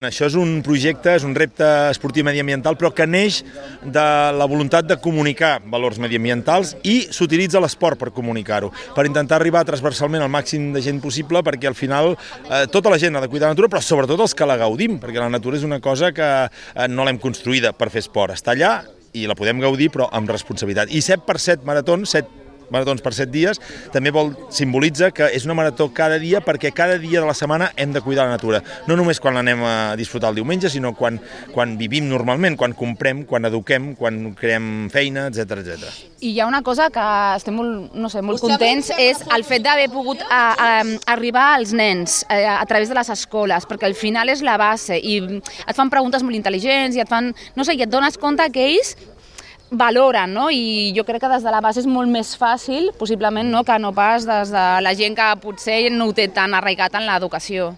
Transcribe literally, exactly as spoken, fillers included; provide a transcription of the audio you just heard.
Això és un projecte, és un repte esportiu mediambiental, però que neix de la voluntat de comunicar valors mediambientals i s'utilitza l'esport per comunicar-ho, per intentar arribar transversalment al màxim de gent possible, perquè al final eh, tota la gent ha de cuidar la natura, però sobretot els que la gaudim, perquè la natura és una cosa que eh, no l'hem construïda per fer esport, està allà i la podem gaudir, però amb responsabilitat. I set per set maratons, set maratons per set dies, també vol simbolitza que és una marató cada dia perquè cada dia de la setmana hem de cuidar la natura. No només quan l'anem a disfrutar el diumenge, sinó quan, quan vivim normalment, quan comprem, quan eduquem, quan creem feina, etcètera, etcètera. I hi ha una cosa que estem molt, no sé, molt contents, és el fet d'haver pogut a, a, arribar als nens a, a través de les escoles, perquè al final és la base i et fan preguntes molt intel·ligents i et fan, no sé, i et dones compte que ells valoren, no? I jo crec que des de la base és molt més fàcil, possiblement, no? Que no pas des de la gent que potser no ho té tan arraigat en l'educació.